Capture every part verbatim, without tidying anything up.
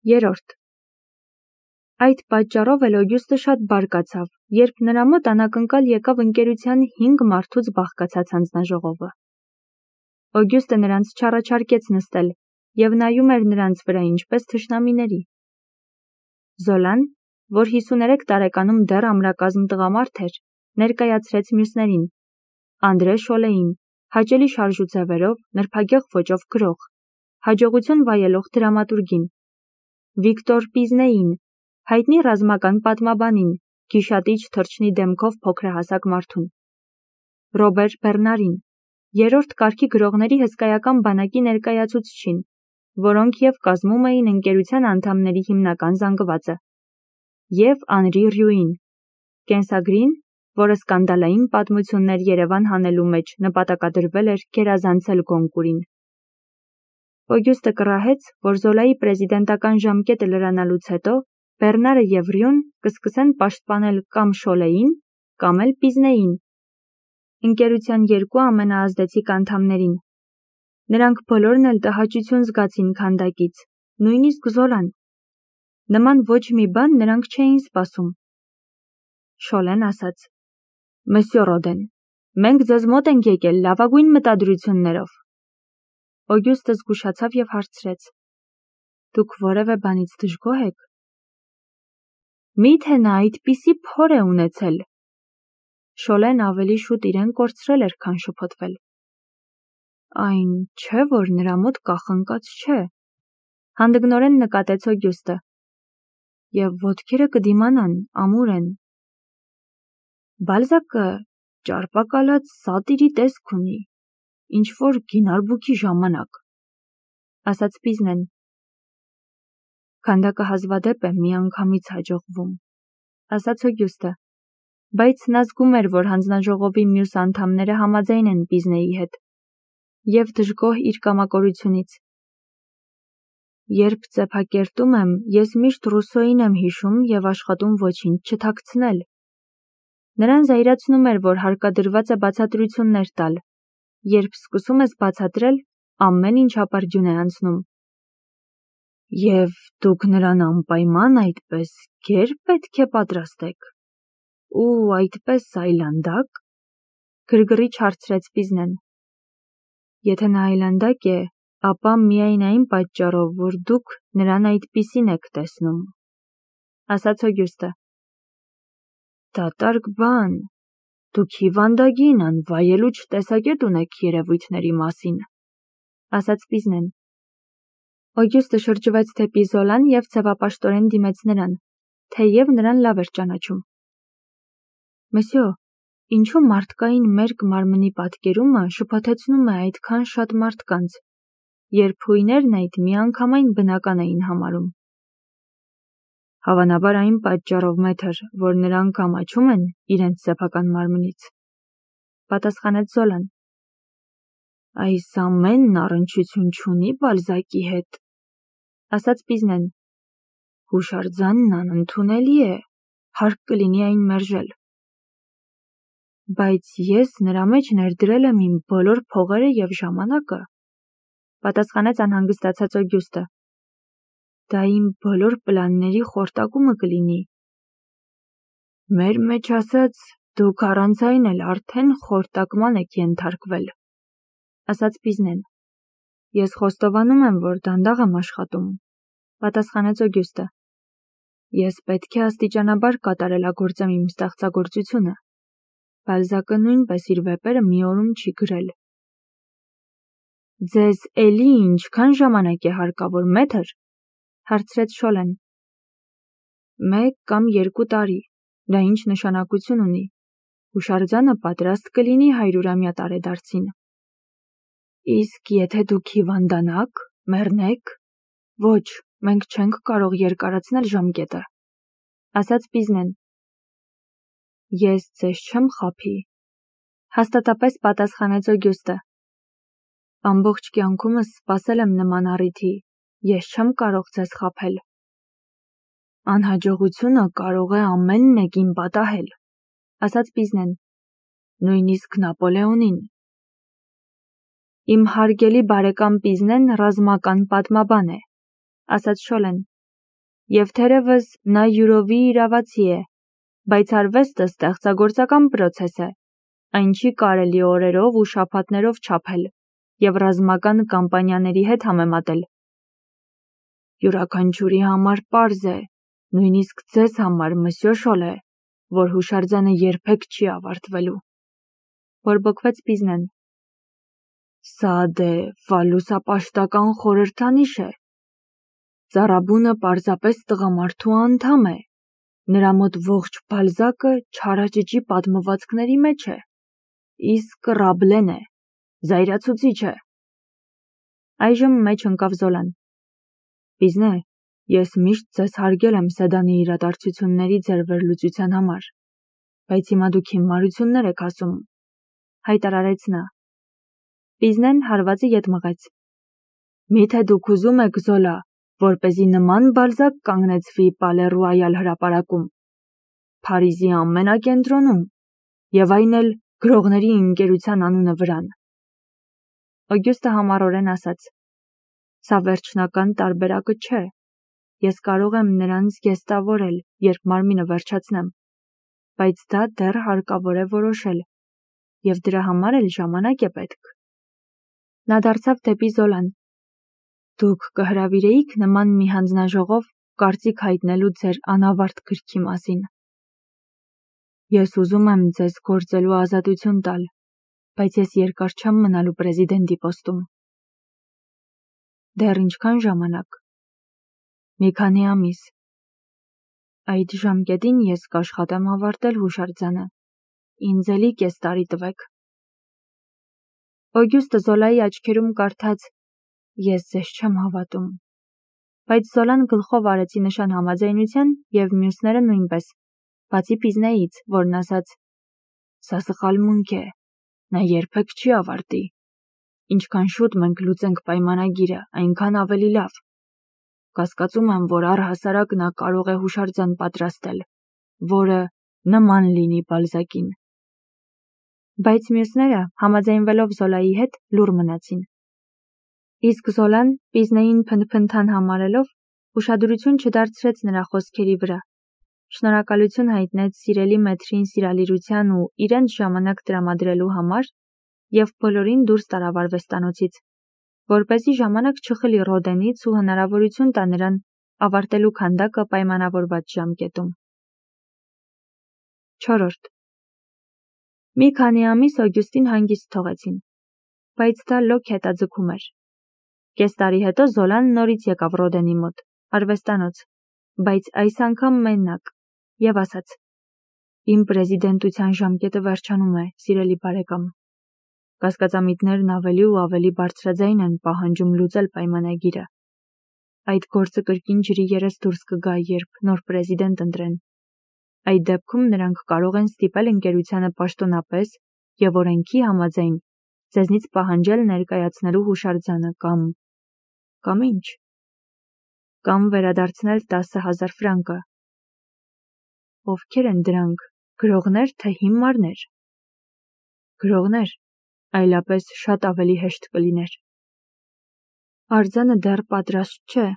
Երորդ. Այդ պատճառով էլ Օգյուստը շատ բարկացավ, երբ նրա մոտ անակնկալ եկավ ընկերության հինգ մարդուց բաղկացած հանձնաժողովը։ Օգյուստը նրանց չառաջարկեց նստել և նայում էր նրանց վրա ինչպես թշնամիների։ Զոլան, որ հիսուներեք տարեկանում դեռ ամրակազմ տղամարդ էր, ներկայացրեց մյուսներին. Անդրե Շոլեին, հաճելի շարժուձևերով, նրբագեղ ոճով գրող, հաջողություն վայելող դրամատուրգին, Վիկտոր Պիզնեին, հայտնի ռազմական պատմաբանին, գիշատիչ թռչնի դեմքով փոքրահասակ մարդուն, Ռոբեր Բեռնարին, երրորդ կարգի գրողների հսկայական բանակի ներկայացուցչին, որոնք և կազմում էին ընկերության անդամների հիմնական զանգվածը, և Անրի Ռյուին, կենսագրին, որը սկանդալային պատմություններ Երևան հանելու մեջ նպատակադրվել էր գերազանցել Գոնկուրին։ Օգյուստը կռահեց, որ Զոլայի պրեզիդենտական ժամկետը լրանալուց հետո Բեռնարը և Ռյուն կսկսեն պաշտպանել կամ Շոլեին, կամ էլ Պիզնեին, ընկերության երկու ամենաազդեցիկ անդամներին։ Նրանք բոլորն էլ տհաճություն զգացին քանդակից, նույնիսկ Զոլան։ Նման ոչ մի բան նրանք չէին սպասում։ Շոլեն ասաց. Մսյո Ռոդեն, մենք ձեզ մոտ ենք եկել լավագույն մտադրություններով։ Օգյուստը զգուշացավ և հարցրեց. Դուք որևէ բանից դժգոհ եք։ Մի՞թե նա այդպիսի փոր է ունեցել։ Շոլեն ավելի շուտ իրեն կորցրել էր, քան շփոթվել։ Այն չէ, որ նրա մոտ կախնկած չէ, հանդգնորեն նկատեց Օգյուստը։ Եվ ոտքերը կդիմանան, ամուր են։ Բալզակը ճարպակալած սատիրի տեսք ունի, ինչ-որ գինարբուքի ժամանակ, ասաց Պիզնեն։ Քանդակը հազվադեպ է միանգամից հաջողվում, ասաց Օգյուստը, բայց նա զգում էր, որ հանձնաժողովի մյուս անդամները համաձայն են Պիզնեի հետ, և դժգոհ իր կամակորությունից։ Երբ ծեփակերտում եմ, ես միշտ Ռուսոյին եմ հիշում և աշխատում ոչինչ չթաքցնել։ Նրան զայրացնում էր, որ հարկադրված է բացատրություններ տալ։ Երբ սկսում ես բացատրել, ամեն ինչ ապարդյուն է անցնում։ Եվ դուք նրան անպայման այդպես գեր պետք է պատրաստեք։ Ու այդպես այլանդակ, գրգռիչ հարցրեց Պիզնեն։ Եթե նա այլանդակ է, ապա միայն այն պատճառով, որ դուք նրան այդպիսին եք տեսնում, ասաց Օգյուստը։ Դատարկ բան, դուք հիվանդագին, անվայելուչ տեսակետ ունեք երևույթների մասին, ասաց Պիզնեն։ Օգյուստը շրջվեց դեպի Զոլան և ձևապաշտորեն դիմեց նրան, թեև նրան լավ էր ճանաչում։ Մսյո, ինչու մարդկային մերկ մարմնի պատկերումը շփոթեցնում է այդքան շատ մարդկանց, երբ հույներն այդ միանգամայն բնական էին համարում։ Հավանաբար այն պատճառով, մեթր, որ նրանք ամաչում են իրենց սեփական մարմնից, պատասխանեց Զոլան։ Այս ամենն առնչություն չունի Բալզակի հետ, ասաց Պիզնեն։ Հուշարձանն անընդունելի է, հարկ կլինի այն մերժել։ Բայց ես նրա մեջ ներդրել եմ իմ բոլոր փողերը և ժամանակը, պատասխանեց անհանգստացած Օգյուստը։ Դա իմ բոլոր պլանների խորտակումը կլինի։ Մեր մեջ ասած, դուք առանց այն էլ արդեն խորտակման եք ենթարկվել, ասաց Պիզնեն։ Ես խոստովանում եմ, որ դանդաղ եմ աշխատում, պատասխանեց Օգյուստը։ Ես պետք է աստիճանաբար կատարելագործեմ իմ ստեղծագործությունը։ Բալզակը նույնպես իր վեպերը մի օրում չի գրել։ Ձեզ էլի ինչքան ժամանակ է հարկավոր, մեթր, հարցրեց Շոլեն։ Մեկ կամ երկու տարի, դա ինչ նշանակություն ունի։ Հուշարձանը պատրաստ կլինի հարյուրամյա տարեդարձին։ Իսկ եթե դուք հիվանդանաք, մեռնեք, ոչ, մենք չենք կարող երկարացնել ժամկետը, ասաց Պիզնեն։ Ես ձեզ չեմ խաբի, հաստատապես պատասխանեց Օգյուստը։ Ամբողջ կյանքումս սպասել եմ նման առիթի, ես չեմ կարող ձեզ խաբել։ Անհաջողությունը կարող է ամեն մեկին պատահել, ասաց Պիզնեն, նույնիսկ Նապոլեոնին։ Իմ հարգելի բարեկամ Պիզնեն ռազմական պատմաբան է, ասաց Շոլեն։ Եվ թերևս նա յուրովի իրավացի է, բայց արվեստը ստեղծագործական պրոցես է, այն չի կարելի օրերով ու շաբաթներով չափել և ռազմական կամպանիաների հետ համեմատել։ Յուրաքանչյուրի համար պարզ է, նույնիսկ ձեզ համար, մսյո Շոլե, որ հուշարձանը երբեք չի ավարտվելու, բորբոքվեց Պիզնեն։ Սա դե վալուսապաշտական խորհրդանիշ է։ Ծառաբունը պարզապես տղամարդու անդամ է, նրա մոտ ողջ Բալզակը չարաճճի պատմվածքների մեջ է, իսկ Ռաբլեն է, զայրացուցիչ է։ Այժմ մեջ ընկավ Զոլան։ Պիզնե, ես միշտ ձեզ հարգել եմ Սեդանի իրադարձությունների ձեր վերլուծության համար, բայց հիմա դուք հիմարություններ եք ասում, հայտարարեց նա։ Պիզնեն հարվածը ետ մղեց։ Միթե դուք ուզում եք, Զոլա, որպեսզի նման Բալզակ կանգնեցվի Պալե Ռոյալ հրապարակում, Փարիզի ամենակենտրոնում, և այն էլ գրողների ընկերության անունը վրան։ Օգյուստը համառորեն ասաց. Սա վերջնական տարբերակը չէ, ես կարող եմ նրանց գեստավորել, երբ մարմինը վերջացնեմ, բայց դա դեռ հարկավոր է որոշել, և դրա համար էլ ժամանակ է պետք։ Նա դարձավ դեպի Զոլան։ Դուք կհրավիրեիք նման մի հանձնաժողով կարծիք հայտնելու ձեր անավարտ գրքի մասին։ Ես ուզում եմ ձեզ գործելու ազատություն տալ, բայց ես երկար չեմ մնալու պրեզիդենտի պոստում։ Դեռ ինչքան ժամանակ։ Մի քանի ամիս։ Այդ ժամկետին ես կաշխատեմ ավարտել հուշարձանը։ Ինձ էլի կես տարի տվեք։ Օգյուստը Զոլայի աչքերում կարդաց. Ես ձեզ չեմ հավատում։ Բայց Զոլան գլխով արեցի նշան համաձայնության և մյուսները նույնպես, բացի Պիզնեից, որն ասաց. Սա սխալմունք է, նա երբեք չի ավարտի։ Ինչքան շուտ մենք լուծենք պայմանագիրը, այնքան ավելի լավ։ Կասկածում եմ, որ առհասարակ նա կարող է հուշարձան պատրաստել, որը նման լինի Բալզակին։ Բայց մյուսները, համաձայնվելով Զոլայի հետ, լուռ մնացին։ Իսկ Զոլան, Պիզնեին փնթփնթան համարելով, ուշադրություն չդարձրեց նրա խոսքերի վրա։ Շնորհակալություն հայտնեց սիրելի մեթրին սիրալիրության ու իրենց ժամանակ տրամադրելու համար և բոլորին դուրս տարավ արվեստանոցից, որպեսզի ժամանակ չխլի Ռոդենից ու հնարավորություն տա նրան ավարտելու քանդակը պայմանավորված ժամկետում։ Չորրորդ Մի քանի ամիս Օգյուստին հանգիստ թողեցին, բայց դա լոկ հետաձգում էր։ Կես տարի հետո Զոլան նորից եկավ Ռոդենի մոտ, արվեստանոց, բայց այս անգամ մենակ, և ասաց. Իմ պրեզիդենտության ժամկետը վերջանում է, սիրելի բարեկամ։ Կասկածամիտներն ավելի ու ավելի բարձրաձայն են պահանջում լուծել պայմանագիրը։ Այդ գործը կրկին ջրի երես դուրս կգա, երբ նոր պրեզիդենտ ընտրեն։ Այդ դեպքում նրանք կարող են ստիպել ընկերությանը պաշտոնապես և օրենքի համաձայն ձեզնից պահանջել ներկայացնելու հուշարձանը կամ… կամ ինչ։ Կամ վերադարձնել տասը հազար ֆրանկը։ Ովքեր են դրանք, գրողներ, թե հիմարներ։ Գրողներ, այլապես շատ ավելի հեշտ կլիներ։ Արձանը դեռ պատրաստ չէ։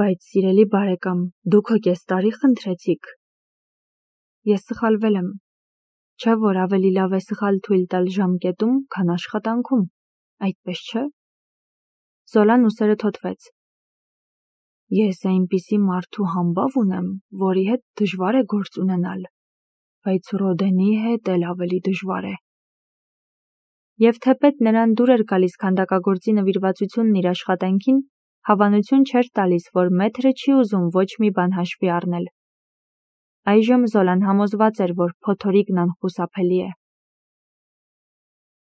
Բայց, սիրելի բարեկամ, դուք հո կես տարի խնդրեցիք։ Ես սխալվել եմ։ Չէ՞ որ ավելի լավ է սխալ թույլ տալ ժամկետում, քան աշխատանքում, այդպես չէ՞։ Զոլան ուսերը թոթվեց։ Ես այնպիսի մարդու համբավ ունեմ, որի հետ դժվար է գործ ունենալ, բայց Ռոդենի հետ էլ ավելի դժվար է։ Եվ թեպետ նրան դուր էր գալիս քանդակագործի նվիրվածությունն իր աշխատանքին, հավանություն չէր տալիս, որ մեթրը չի ուզում ոչ մի բան հաշվի առնել։ Այժմ Զոլան համոզված էր, որ փոթորիկն անխուսափելի է։